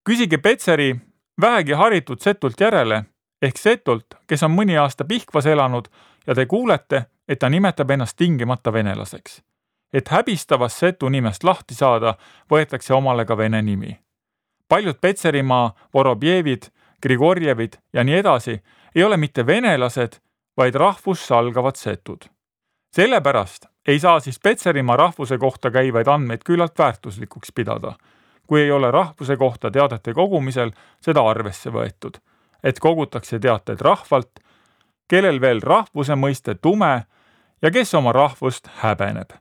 Küsige Petseri vähegi haritud setult järele, ehk setult, kes on mõni aasta Pihkvas elanud ja te kuulete, et ta nimetab ennast tingimata venelaseks. Et häbistavast setu nimest lahti saada, võetakse omale ka vene nimi. Paljud Petserimaa Vorobjevid, Grigorjevid ja nii edasi ei ole mitte venelased, vaid rahvust salgavad setud. Sellepärast ei saa siis Petserimaa rahvuse kohta käivaid andmeid küllalt väärtuslikuks pidada, kui ei ole rahvuse kohta teadete kogumisel seda arvesse võetud, et kogutakse teateid rahvalt, kellel veel rahvuse mõiste tume ja kes oma rahvust häbeneb.